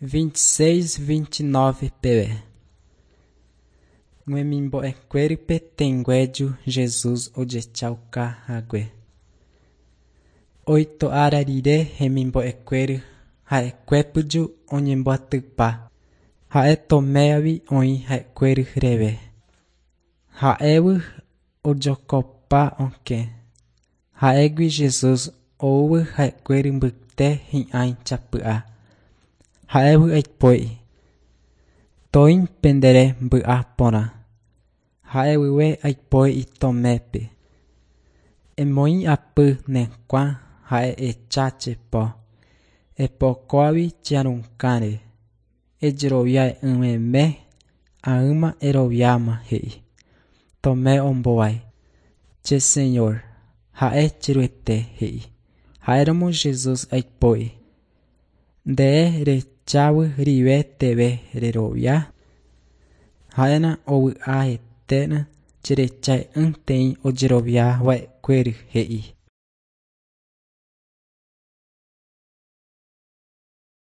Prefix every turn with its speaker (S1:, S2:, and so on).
S1: 26, 29 peve. Hemimbo'ekuérape tẽngueju Jesús ojechaukahague. Oito ára rire hemimbo'ekuéra ha'ekuépyju oñembyatypa. Ha'e Toméavi oĩ ha'ekuéra reve. Ha'évy ojokopa okẽ. Ha'égui Jesús oúvy ha'ekuéra mbyte hi'ãi chapy'a. Ha'évy aipo'i. Toĩ pendere mba'eporã. Ha'évyve aipo'i Tomépe. Emoĩ apy ne kuã ha ehecha che po. Epokóvi che arukáre. Ejerovia'ỹmeme ág̃a eroviáma he'i. Tomé ombohovái. Che Señor, ha'e che Ruete he'i. Ha'éramo Jesús aipo'i. Nde rechágui rive teve rerovia. Ha'éna ovy'aeténa cherecha'ỹtei ojeroviava'ekuére he'i.